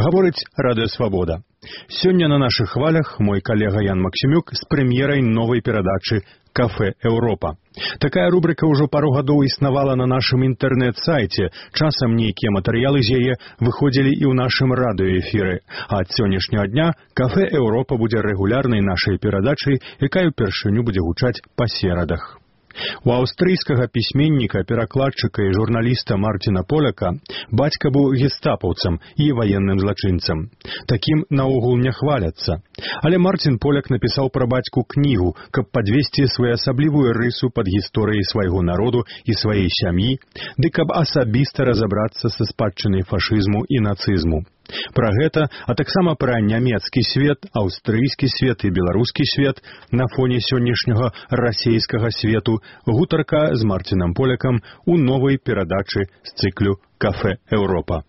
Гаворыць Радыё Свабода. Сёння на нашых хвалях мой калега Ян Максімюк з прэм'ерай новай перадачы «Кафе Еўропа». Такая рубрика ўжо пару гадоў існавала на нашым інтэрнэт-сайце. Часам нейкія матэрыялы з яе выходзілі і ў нашым радыёэфіры. А ад сённяшняга дня «Кафе Еўропа» будзе рэгулярнай нашай перадачай, якая ўпершыню будзе гучаць па серадах. У аўстрыйскага пісьменніка, перакладчыка і журналіста Мартина Поляка бацька быў гестапаўцам і ваенным злачынцам. Такім наогул не хваляцца. Але Мартин Поляк напісаў пра бацьку кнігу, каб падвесці своеасаблівую рысу пад гісторыяй свайго народу і сваей сям'і, ды каб асабіста разабрацца са спадчынай фашызму і нацызму. Пра гэта, а таксама пра нямецкі свет, аўстрыйскі свет і беларускі свет на фоне сённяшняга расейскага свету гутарка з Мартинам Полякам у новай перадачы з цыклю «Кафе Еўропа».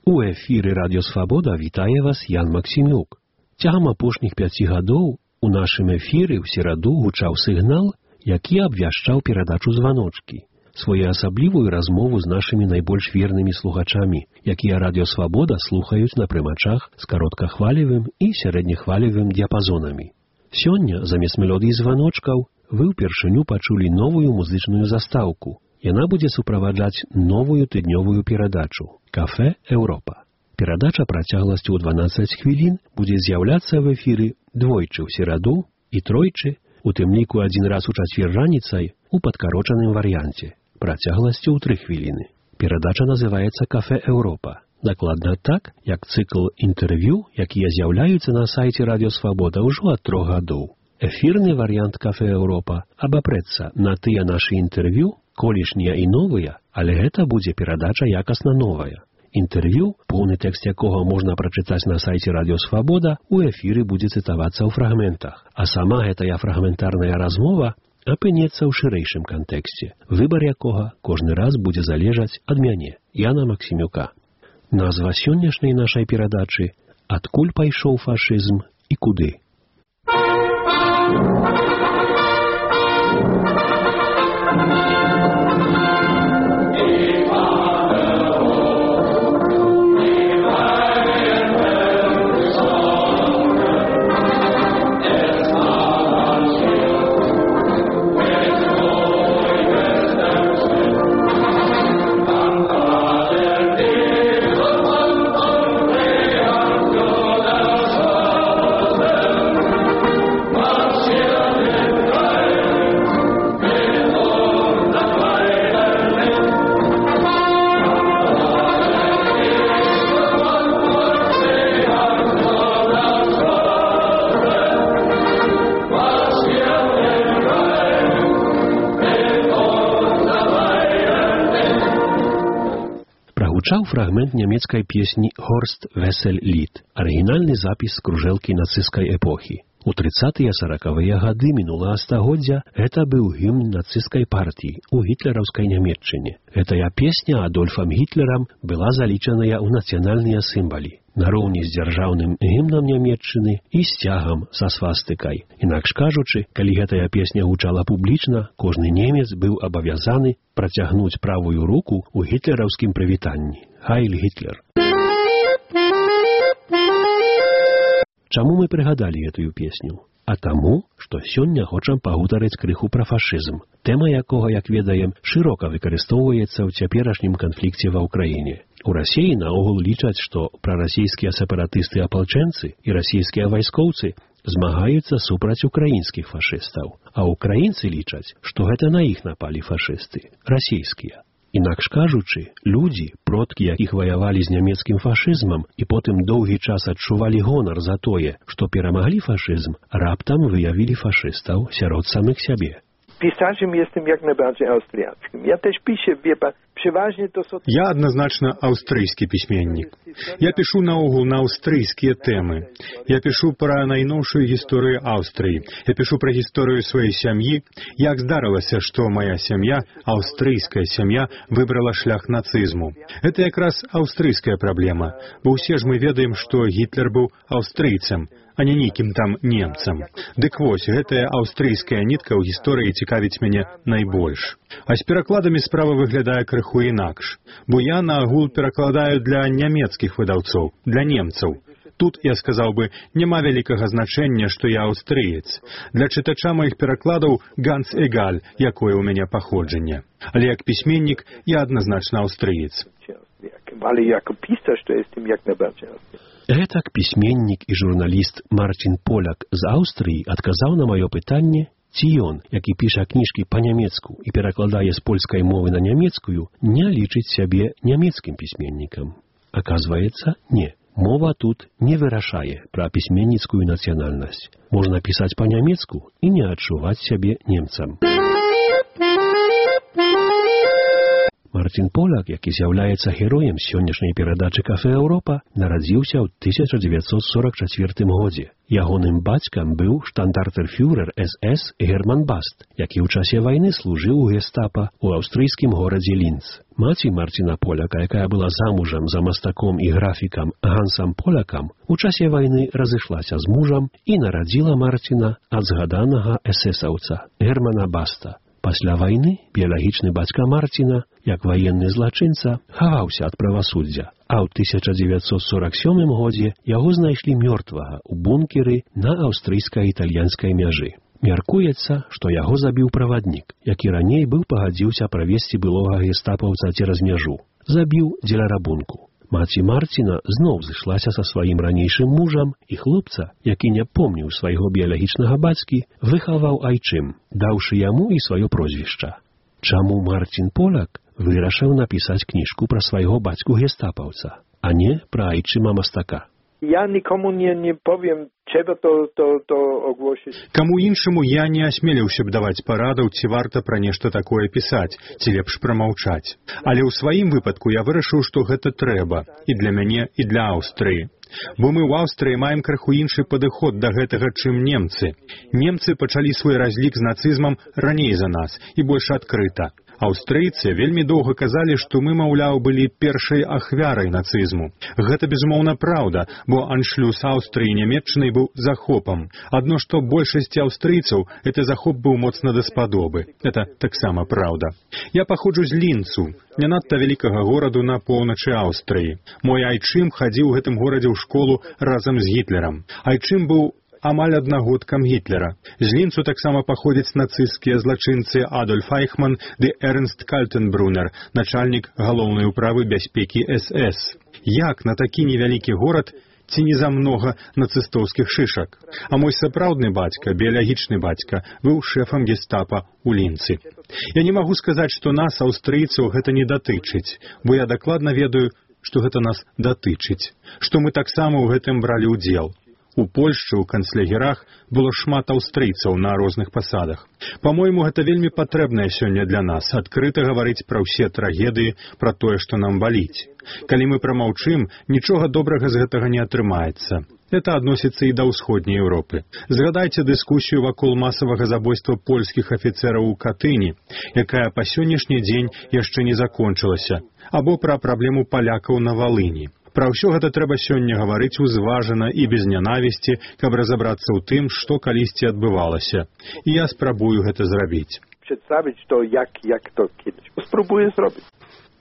У эфіры Радіо Свабода вітае вас Ян Максімюк. Цягам апошніх 5 гадоў у нашым эфіры ў сераду гучаў сігнал, які абвяшчаў перадачу «Званочкі», своеасаблівую размову з нашымі найбольш вернымі слухачамі, якія Радіо Свабода слухаюць на прымачах з кароткахвалевым і сярэднехвалевым дыяпазонамі. Сёння, замест мелодый званочкаў, вы ўпершыню пачулі новую музычную застаўку. Яна будзе суправаджаць новую тыднёвую перадачу «Кафе Еўропа». Перадача працягласцю ў 12 хвілін будзе з'яўляцца в эфіры двойчы ў сераду і тройчы, у тым ліку адзін раз у чацвер раніцай у падкарочаным варыянце, працягласцю ў 3 хвіліны. Перадача называецца «Кафе Еўропа». Дакладна так, як цыкл інтэрв'ю, якія з'яўляюцца на сайце Радіо Свабода ўжо ад 3 гадоў. Эфірны варыянт «Кафе Еўропа» абапрэцца на тыя нашы інтэрв'ю, колішнія і новыя, але гэта будзе перадача якасна новая. Інтэрв'ю, поўны тэкст якога можна прачытаць на сайце Радіо Свабода, у эфіры будзе цытавацца ў фрагментах, а сама гэтая фрагментарная размова апынецца ў шырэйшым кантэксце, выбар якога кожны раз будзе залежаць ад мяне, Яна Максімюка. Назва сённяшняй нашай перадачы «Адкуль пайшоў фашызм і куды?». Гучаў фрагмент нямецкай песні «Хорст Весель Лід», арыгінальны запіс кружэлкі нацысцкай эпохі. У 30-40-е гады мінулага стагоддзя гэта быў гімн нацысцкай партіі ў гітлераўскай Нямецчыне. Гэтая песня Адольфам Гітлерам была залічаная ў нацыянальныя сімвалы, нароўні з дзяржаўным гімнам Нямецчыны і сцягам са свастыкай. Інакш кажучы, калі гэтая песня гучала публічна, кожны немец быў абавязаны працягнуць правую руку ў гітлераўскім прывітанні. Хайль Гітлер! Чаму мы прыгадалі гэтую песню? А таму, што сёння хочам пагутарыць крыху пра фашызм, тэма якога, як ведаем, шырока выкарыстоўваецца ў цяперашнім канфлікце ва ўкраіне. У Расіі наогул лічаць, што прарасійскія сепаратысты-апалчэнцы і расійскія вайскоўцы змагаюцца супраць украінскіх фашыстаў, а ўкраінцы лічаць, што гэта на іх напалі фашысты, расійскія. Інакш кажучы, людзі, продкі якіх ваявалі з нямецкім фашызмам і потым доўгі час адчувалі гонар за тое, што перамаглі фашызм, раптам выявілі фашыстаў сярод самых сябе. Pisarzem jestem jak najbardziej austriackim. Ja też piszę, wie pan, Я адназначна аўстрыйскі пісьменнік. Я пішу наогул на аўстрыйскія тэмы. Я пішу пра найноўшую гісторыю Аўстрыі. Я пішу пра гісторыю сваёй сям'і, як здарылася, што мая сям'я, аўстрыйская сям'я, выбрала шлях нацызму. Гэта якраз аўстрыйская праблема, бо ўсе ж мы ведаем, што Гітлер быў аўстрыйцам, а не нейкім там немцам. Дык вось, гэтая аўстрыйская нітка ў гісторыі цікавіць мяне найбольш. А з перакладамі справа выглядае крыху інакш, бо я наогул перакладаю для нямецкіх выдаўцоў, для немцаў. Тут, я сказаў бы, няма вялікага значэння, што я аўстрыец. Для чытача маіх перакладаў ганц эгаль, якое ў мяне паходжанне. Але як пісьменнік я адназначна аўстрыец. Але як пісар, што jestem як najbardziej. Гэтак пісьменнік і журналіст Марцін Поляк з Аўстрыі адказаў на маё пытанне, ці ён, які піша кніжкі па-нямецку і перакладае з польскай мовы на нямецкую, не лічыць сябе нямецкім пісьменнікам. Аказваецца, не. Мова тут не вырашае пра пісьменніцкую нацыянальнасць. Можна пісаць па-нямецку і не адчуваць сябе немцам. Марцін Поляк, які з'яўляецца героем сённяшняй перадачы «Кафе Еўропа», нарадзіўся ў 1944 годзе. Ягоным бацькам быў штандартенфюрер СС Герман Баст, які ў часе вайны служыў у гестапа ў аўстрыйскім горадзе Лінц. Маці Марціна Поляка, якая была замужам за мастаком і графікам Гансам Полякам, у часе вайны разышлася з мужам і нарадзіла Марціна ад згаданага эсэсаўца Германа Баста. Пасля вайны біялагічны бацька Марціна, як ваенны злачынца, хаваўся ад правасуддзя, а ў 1947 годзе яго знайшлі мёртвага ў бункеры на аўстрыйска-італьянскай мяжы. Мяркуецца, што яго забіў праваднік, які раней быў пагадзіўся правесці былога гестапаўца цераз мяжу. Забіў дзеля рабунку. Маці Марціна зноў зышлася са сваім ранейшым мужам, і хлопца, які не помніў свайго біялагічнага бацькі, выхаваў айчым, даўшы яму і сваё прозвішча. Чаму Марцін Поляк вырашыў напісаць кніжку пра свайго бацьку-гестапаўца, а не пра айчыма мастака? Ja nikomu nie powiem, trzeba to ogłosić. Каму іншаму я не асмеліўся б даваць парадаў, ці варта пра нешта такое пісаць, ці лепш прамаўчаць. Але ў сваім выпадку я вырашыў, што гэта трэба і для мяне, і для Аўстрыі. Бо мы ў Аўстрыі маем крыху іншы падыход да гэтага, чым немцы. Немцы пачалі свой разлік з нацызмам раней за нас і больш адкрыта. Аўстрыйцы вельмі доўга казалі, што мы, маўляў, былі першай ахвярай нацызму. Гэта, безумоўна, праўда, бо аншлюс Аўстрыі нямецчынай быў захопам. Адно што большасці аўстрыйцаў гэты захоп быў моцна даспадобы. Это таксама праўда. Я паходжу з Лінцу, не надта вялікага гораду на поўначы Аўстрыі. Мой айчым хадзіў у гэтым горадзе ў школу разам з Гітлерам. Айчым быў амаль аднагодкам Гітлера. З Лінцу таксама паходзяць нацысцкія злачынцы Адольф Айхман ды Эрнст Кальтенбрунер, начальнік галоўнай управы бяспекі СС. Як на такі невялікі горад ці не замнога нацыстоўскіх шышак? А мой сапраўдны бацька, біялагічны бацька, быў шэфам гестапа ў Лінцы. Я не магу сказаць, што нас, аўстрыйцаў, гэта не датычыць, бо я дакладна ведаю, што гэта нас датычыць, што мы таксама ў гэтым бралі ўдзел. У Польшчы, у канцлягерах было шмат аўстрыйцаў на розных пасадах. Па-мойму, гэта вельмі патрэбнае сёння для нас, адкрыта гаварыць пра ўсе трагедыі, пра тое, што нам баліць. Калі мы прамаўчым, нічога добрага з гэтага не атрымаецца. Это адносіцца і да ўсходняй Еўропы. Згадайце дыскусію вакол масавага забойства польскіх афіцэраў у Катыні, якая па сённяшні дзень яшчэ не закончылася, або пра праблему палякаў на Валыні. Пра ўсё гэта трэба сёння гаварыць узважана і без нянавісці, каб разабрацца ў тым, што калісьці адбывалася. І я спрабую гэта зрабіць. Прадставіць, што як то кідаць. Спрабую зробіць.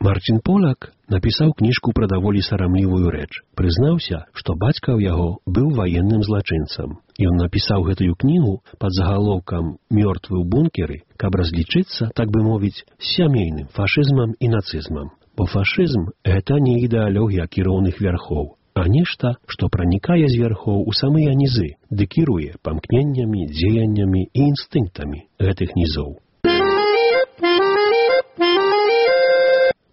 Марцін Поляк напісаў кніжку пра даволі сарамлівую рэч. Прызнаўся, што бацька ў яго быў ваенным злачынцам. Ён напісаў гэтую кнігу пад загалоўкам «Мёртвы ў бункеры», каб разлічыцца, так бы мовіць, з сямейным фашызмам і нацызмам. Бо фашызм – гэта не ідэалогія кіроўных вярхоў, а нешта, што пранікае з вярхоў у самыя нізы, ды кіруе памкненнямі, дзеяннямі і інстынктамі гэтых нізоў.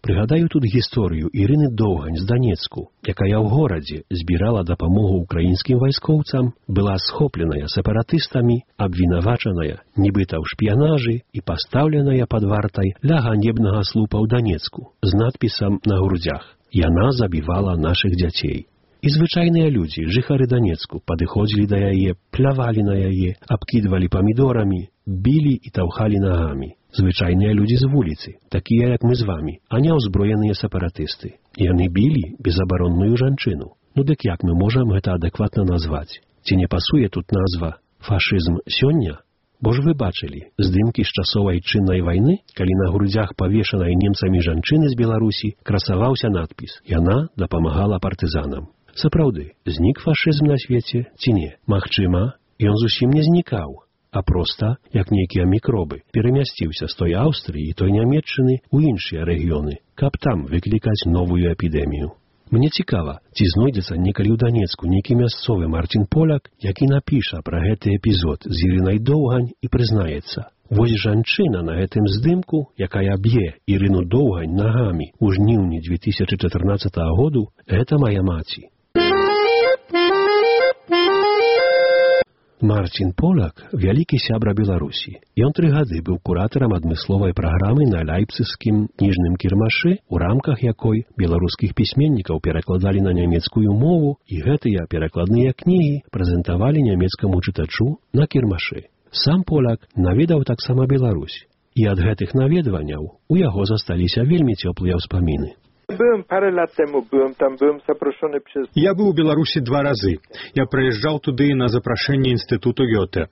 Прыгадаю тут гісторыю Ірыны Доўгань з Данецку, якая ў горадзе збірала дапамогу украінскім вайскоўцам, была схопленая сепаратыстамі, абвінавачаная, нібыта ў шпіянажы і пастаўленая пад вартай ля ганебнага слупа ў Данецку з надпісам на грудзях «Яна забівала нашых дзяцей». І звычайныя людзі, жыхары Данецку, падыходзілі да яе, плявалі на яе, абкідвалі памідорамі, білі і таўхалі нагамі. Звычайныя людзі з вуліцы, такія, як мы з вамі, а не ўзброеныя сепаратысты. Яны білі безабаронную жанчыну. Ну дык як мы можам гэта адэкватна назваць? Ці не пасуе тут назва «фашызм сёння»? Бо ж вы бачылі здымкі з часоў айчыннай вайны, калі на грудзях павешанай немцамі жанчыны з Беларусі красаваўся надпіс «Яна дапамагала партызанам». Сапраўды, знік фашызм на свеце ці не? Магчыма, ён зусім не знікаў, а проста, як нейкія мікробы, перамясціўся з той Аўстрыі і той Нямецчыны ў іншыя рэгіёны, каб там выклікаць новую эпідэмію. Мне цікава, ці знойдзецца некалі ў Данецку нейкі мясцовы Марцін Поляк, які напіша пра гэты эпізод з Ірынай Доўгань і прызнаецца: вось жанчына на гэтым здымку, якая б'е Ірыну Доўгань нагамі ў жніўні 2014 году, гэта мая маці. Марцін Поляк – вялікі сябра Беларусі. Ён 3 гады быў куратарам адмысловай праграмы на Ляйпцыгскім кніжным кірмашы, у рамках якой беларускіх пісьменнікаў перакладалі на нямецкую мову, і гэтыя перакладныя кнігі прэзентавалі нямецкаму чытачу на кірмашы. Сам Поляк наведаў таксама Беларусь, і ад гэтых наведванняў у яго засталіся вельмі цёплыя ўспаміны. Я быў у Беларусі 2 разы. Я прыязджаў туды на запрашэнне інстытуту Гёте.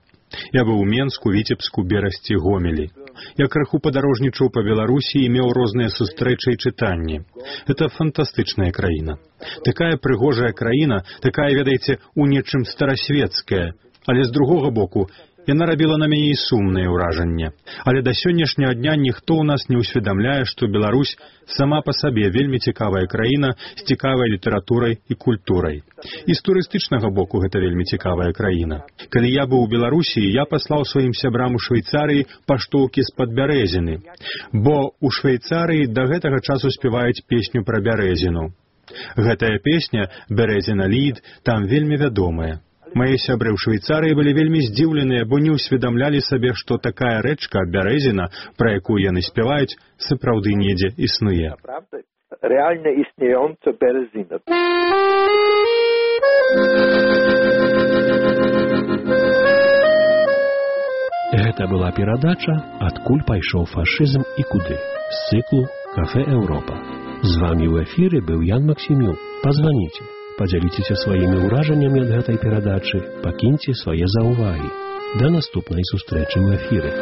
Я быў у Менску, Віцебску, Берасці, Гомелі. Я крыху падарожнічаў па Беларусі і меў розныя сустрэчы і чытанні. Это фантастычная краіна. Такая прыгожая краіна, такая, ведаеце, у нечым старасветская. Але з другога боку, яна рабіла на мяне і сумнае ўражанне. Але да сённяшняга дня ніхто ў нас не ўсведамляе, што Беларусь сама па сабе вельмі цікавая краіна з цікавай літаратурай і культурай. І з турыстычнага боку гэта вельмі цікавая краіна. Калі я быў у Беларусі, я паслаў сваім сябрам у Швейцарыі паштоўкі з-пад бярэзіны. Бо ў Швейцарыі да гэтага часу спяваюць песню пра бярэзіну. Гэтая песня «Бярэзіна лід» там вельмі вядомая. Мае сябры ў Швейцарыі былі вельмі здзіўленыя, бо не ўсведамлялі сабе, што такая рэчка, бярэзіна, пра якую яны спяваюць, сапраўды недзе існуе. Рэальна існуючая бярэзіна. Гэта была перадача «Адкуль пайшоў фашызм і куды» з цыклу «Кафе Еўропа». З вамі ў эфіры быў Ян Максімюк. Пазваніце. Падзяліцеся сваімі ўражаннямі ад гэтай перадачы, пакіньце свае заўвагі. Да наступнай сустрэчы ў эфіры.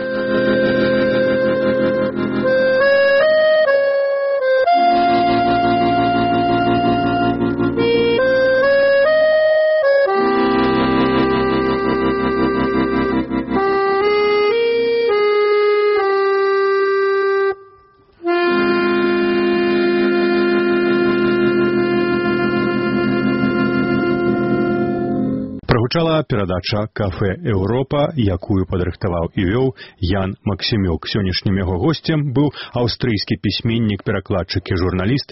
Прагучала перадача «Кафе Еўропа», якую падрыхтаваў і вёў Ян Максімюк. Сённяшнім яго госцем быў аўстрыйскі пісьменнік, перакладчык і журналіст